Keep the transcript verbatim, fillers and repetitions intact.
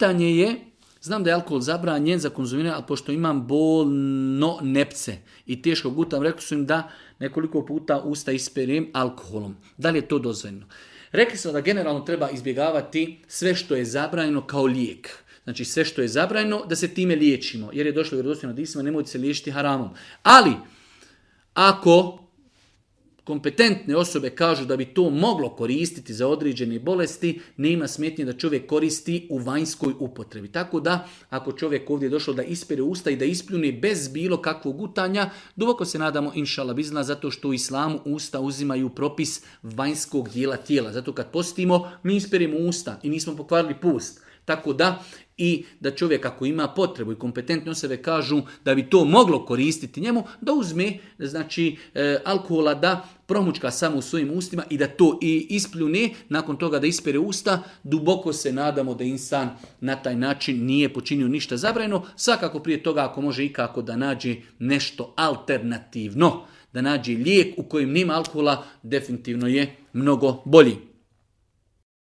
pitanje je, znam da je alkohol zabranjen za konzumiranje, ali pošto imam bolno nepce i teško gutam, rekli su im da nekoliko puta usta isperem alkoholom. Da li je to dozvoljeno? Rekli smo da generalno treba izbjegavati sve što je zabranjeno kao lijek. Znači sve što je zabranjeno da se time liječimo. Jer je došlo u vjerodostojnim hadisima, nemojte se liječiti haramom. Ali ako kompetentne osobe kažu da bi to moglo koristiti za određene bolesti, nema smetnje da čovjek koristi u vanjskoj upotrebi. Tako da, ako čovjek ovdje je došao da ispere usta i da ispljune bez bilo kakvog gutanja, duboko se nadamo, inšala bizna, zato što u islamu usta uzimaju propis vanjskog dijela tijela. Zato kad postimo, mi isperemo usta i nismo pokvarili pust. Tako da, i da čovjek ako ima potrebu i kompetentne osobe kažu da bi to moglo koristiti njemu, da uzme znači e, alkohola, da promučka samo u svojim ustima i da to i ispljune, nakon toga da ispere usta, duboko se nadamo da insan na taj način nije počinio ništa zabranjeno, svakako prije toga ako može ikako da nađe nešto alternativno, da nađe lijek u kojem nema alkohola, definitivno je mnogo bolji.